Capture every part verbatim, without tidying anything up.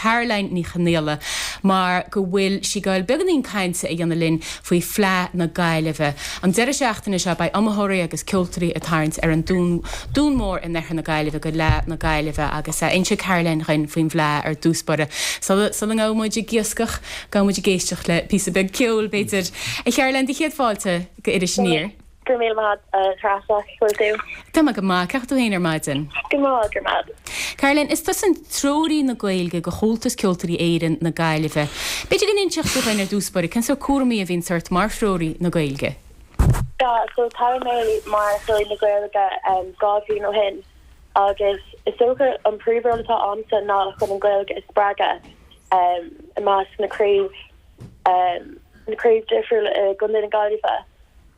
Caroline Ní Chonghaile mar go bhfuil sí ag goil beagáinín cainte a dhéanamh linn faoi Fleadh na Gaillimhe. An deireadh seachtaine seo beidh iomaitheoirí agus ceoltóirí ag tarraingt ar an Dún Dún Mór in oirthear na Gaillimhe go Fleadh na Gaillimhe agus uh, inseoidh Caroline dhúinn faoin bhFleadh ar dtús báire. Sula ngabhfaidh muid ag iascach gabhfaidh muid ag éisteacht le píosa beag ceoil b'fhéidir. A Charoline céad fáilte go Iris Aniar. Go míle maith Treasa bhfuil tú. Tá go maith cén chaoi tú féin ar maidin. Go maith gur maith. Caroline, is tusa treoraí na Gaeilge go Chomhaltas Ceoltóirí Éireann na Gaillimhe. B'fhéidir go n-inseodh tú dhúinn ar dtús báire cén sórt cúraimí a bhíonn ort mar threoraí na Gaeilge. Ja, so tá mé mar threoraí na Gaeilge um, dhá bhliain ó shin agus is dócha an príomhról atá a'msa ná chun an Ghaeilge a spreagadh um, i measc na craobh um, na craobh difriúil i gContae na Gaillimhe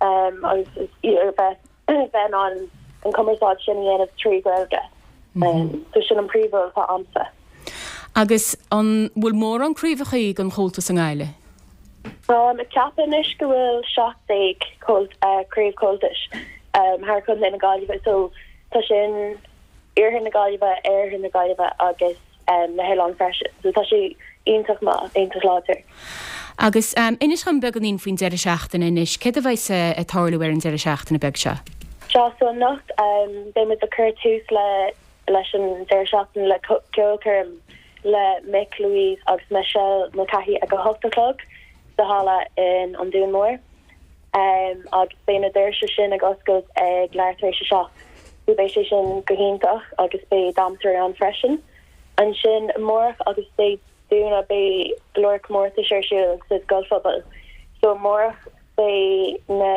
um, agus bheith bheith an an cumarsáid sin a dhéanamh trí Ghaeilge. Mm -hmm. um, so sin an príomhról atá a'msa. Agus an bhfuil mórán craobhacha den Chomhaltas i nGaillimh? Tá ag ceapadh anois go bhfuil seacht déag craobh Comhaltais um, thar Chontae na Gaillimhe so tá sin iarthar na Gaillimhe oirthear na Gaillimhe agus um, na hoileáin freisin. So tá sé iontach maith iontach láidir. Agus um, inis dom beagáinín faoin deireadh seachtaine anois, céard a bheas ag tarlú ar an deireadh seachtaine beag seo? Seo so anocht um, beimid ag cur tús le leis an deireadh seachtaine le ceolchoirm le Mick Louise agus Michelle Mulcahy ag a hocht a chlog sa halla in an Dún Mór. Um, agus beidh na doirse sin ag oscailt ag leathuair tar éis a seacht. So beidh sé sin go hiontach agus beidh damhsóirí ann freisin. Ansin amárach agus Dé Domhnaigh beidh go leor comórtais ar siúl sa scoilphobal. So amárach beidh na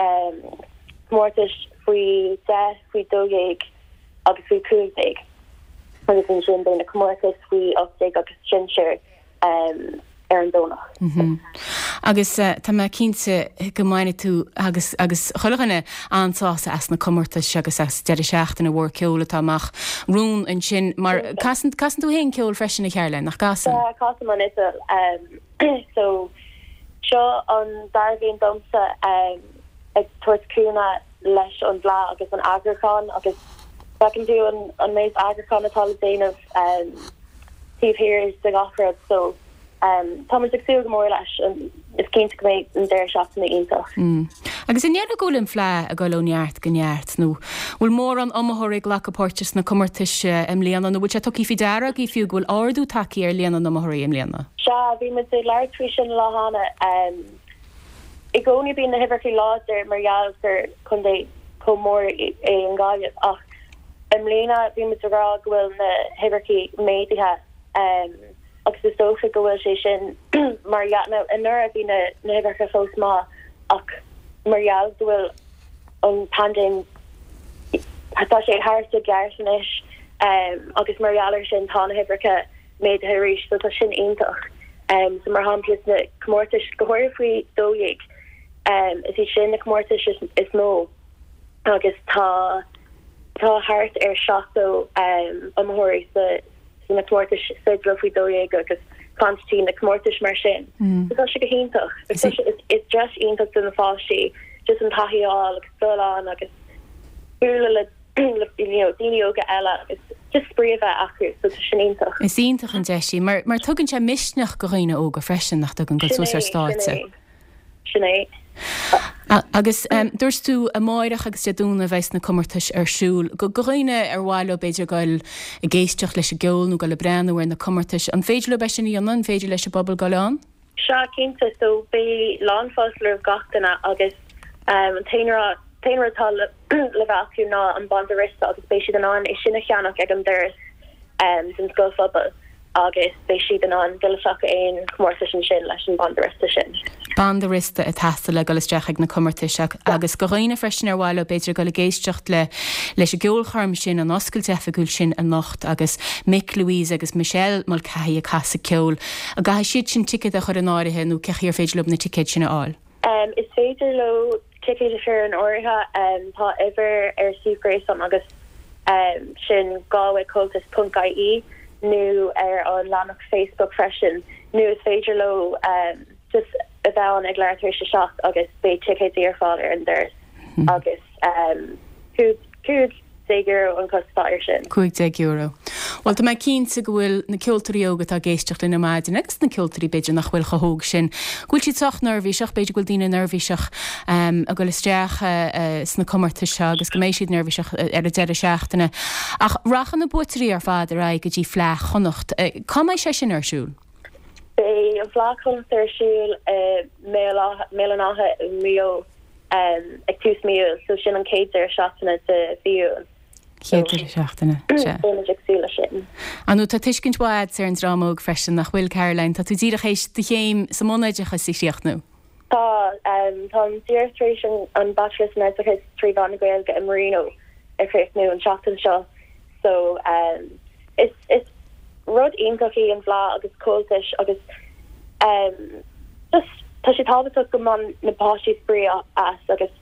um, comórtais faoi deich faoi dó dhéag agus faoi cúig déag. Agus ansin beidh na comórtais faoi ocht déag agus sinsir um, ar an Domhnach. Mm -hmm. Agus uh, tá mé cinnte go mbainfidh tú agus agus chuile dhuine an-sásamh as na comórtais agus as deireadh seachtaine mhór ceoil atá amach romhainn ansin mar casann casann tú féin ceol freisin a Charoline nach gcasann? Uh, Casaim an fhidil um, so seo an dara bliain domsa um, ag tabhairt cúnamh leis an bhFleadh agus an eagrúchán agus feiceann tú an, an méid eagrúchán atá le déanamh um, taobh thiar de gach rud so um, tá ag súil go mór leis is cinnte go mbeidh an deireadh seachtaine iontach. Mm. Agus an ndéarfá go bhfuil an Fleadh ag dul ó neart go neart nó bhfuil mórán iomaitheoirí ag glacadh páirte sna comórtais i mbliana nó bhfuil sé tugtha faoi deara agaibh fiú go bhfuil ardú tagtha ar líon na n-iomaitheoirí i mbliana. Sea bhí muid ag labhairt faoi sin lá cheana um, i gcónaí bíonn na huimhreacha láidir mar gheall gur contae chomh mór é an Ghaillimh ach i mbliana bhí muid ag rá go bhfuil na huimhreacha méadaithe um, agus is dócha go bhfuil sé sin mar anuraidh bhí na na huimhreacha fós maith ach mar gheall go bhfuil an paindéim tá sé thart i gceart anois um, agus mar gheall air sin tá na huimhreacha méadaithe arís so tá sin iontach. Um, so mar shampla na comórtais go háirithe faoi dó dhéag um, is iad sin na comórtais is, is mó agus tá tá thart ar seachtó um, iomaitheoirí sa na comórtais fidle faoi dó dhéag agus concertina na comórtais mar sin. Mm. So tá sé go hiontach. Is is deis iontach do na páistí just an taithí agus dul ann agus bualadh le le you know, daoine óga eile agus just spraoi a bheith acu so tá sin iontach. Is iontach an deis í mar mar tugann sé misneach do dhaoine óga freisin nach dtugann go suas ar stáitse. Sin é. Agus um, dúirt tú amárach agus Dé Domhnaigh a bheas na comórtais ar siúl. Go dhaoine ar mhaith leo b'fhéidir goil ag éisteacht leis an gceol nó goil ag breathnú ar na comórtais. An féidir leo é sin a dhéanamh an féidir leis an bpobal goil ann? Sea cinnte so beidh lánfháilte roimh gach duine agus um, an t-aon rud atá le le bheith acu ná an banda riosta agus beidh siad in ann é sin a cheannach ag an doras um, den scoilphobal agus beidh siad in ann dul isteach aon chomórtas ansin leis an banda riosta sin. Banda riosta ag teastáil le dul isteach ag na comórtais agus go dhaoine freisin ar mhaith leo b'fhéidir goil ag éisteacht le leis an gceolchoirm sin an oscailt oifigiúil sin anocht agus Mick Louise agus Michelle Mulcahy ag casadh ceoil. An gcaithfidh siad sin ticéad a chur in áirithe nó cén chaoi ar féidir leo na ticéid sin a fháil. Um, is féidir leo ticéid a chur in áirithe um, tá uimhir ar suíomh gréasáin agus um, sin galwaycomhaltas.ie nó ar an leathanach Facebook freisin nó is féidir leo um, just a bheith ann ag leathuair tar éis a seacht agus beidh ticéid ar fáil ar an doras mm. agus um, cúig déag euro an costas air sin. Cúig déag euro. Bhuel, tá mé cinnte go bhfuil na ceoltóirí óga atá ag éisteacht linn ar maidin agus na ceoltóirí b'fhéidir nach bhfuil chomh hóg sin, go bhfuil siad sách neirbhíseach, b'fhéidir go bhfuil daoine neirbhíseach ag dul isteach sna comórtais seo agus go mbeidh siad neirbhíseach ar an deireadh seachtaine. Ach rachaidh na buaiteoirí ar fad ar aghaidh go dtí Fleadh Chonnacht. Cá mbeidh sé sin ar siúl? Beidh an Fleadh Chonnacht ar siúl i mBéal an Átha i Maigh Eo ag tús mí Iúil, so sin an chéad deireadh seachtaine de mhí Iúil. Chéad deireadh seachtaine, sea. Beimid ag súil leis sin. Ar ndóigh, tá tuiscint mhaith agat ar an dream óg freisin, nach bhfuil, Caroline? Tá tú díreach théis do chéim sa mbunoideachas a chríochnú. Tá, táim díreach tar éis an Bachelor san Oideachas trí mheán na Gaeilge i Marino a chríochnú an tseachtain seo so is is rud iontach í an Fhleadh agus Comhaltas agus um, just tá sé tábhachtach go mbaineann na páistí spraoi as agus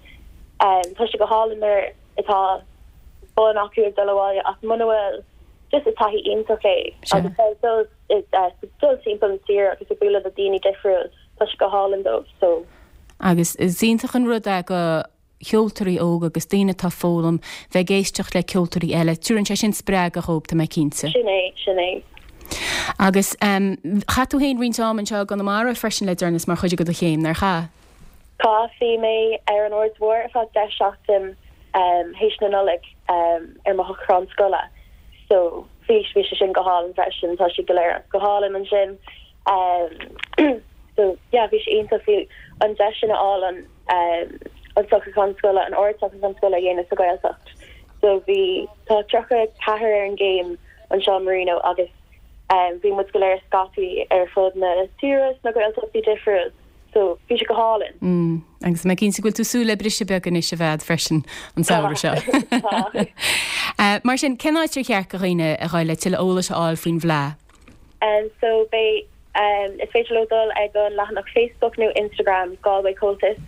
um, tá sé go hálainn nuair atá bonn acu ag dul abhaile ach muna bhfuil just is taithí iontach é agus dul dul timpeall an tír agus ag bualadh le daoine difriúil tá sé go hálainn dóibh so. Agus is iontach an rud é go cheoltóirí óga agus daoine atá ag foghlaim bheith ag éisteacht le ceoltóirí eile. Tugann sé sin spreagadh dhóibh, tá mé cinnte. Sin é, sin é. Agus chaith tú féin roinnt am anseo i gConamara freisin le deireanas mar chuid de do chéim, nár chaith? Chaith, bhí mé ar an Aird Mhór ar feadh deich seachtain théis na Nollag ar mo shocrúchán scoile so bhí bhí sé sin go hálainn freisin, tá sé go léir go hálainn ansin. So yeah, bhí sé iontach bhí an deis sin a fháil an an socrúchán scoile, an ard-socrúchán scoile a dhéanamh sa Ghaeltacht. So bhí tá tríocha ceathair ar an gcéim anseo i Marino agus bhí muid go léir scaipthe ar fud na tíre sna Gaeltachtaí difriúil. So bhí sé go hálainn. Mm, agus mé cinnte go bhfuil tú ag súil le briseadh beag anois a bheith freisin an samhradh seo. Tá. Mar sin, cén áit ar cheart do dhaoine a ghabháil le tuilleadh eolais a fháil faoin bhFleadh? Um, so beidh um, is féidir leo dul ag an leathanach Facebook nó Instagram Galway Comhaltas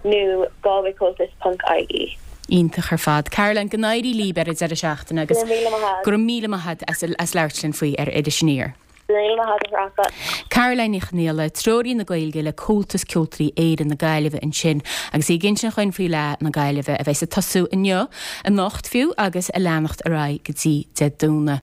nó galwaycomhaltas ponc ie. Iontach ar fad. Caroline, go n-éirí libh ar an deireadh seachtaine agus Go raibh míle maith agat. Go raibh míle maith agat as, as labhairt linn faoi ar Iris Aniar. Go raibh míle maith agat a Threasa. Caroline Ní Chonghaile, Treoraí na Gaeilge le Comhaltas Ceoltóirí Éireann na Gaillimhe ansin agus í ag insint dhúinn faoi Fhleadh na Gaillimhe a bheas ag tosú inniu, anocht fiú, agus ag leanacht ar aghaidh go dtí Dé Domhnaigh.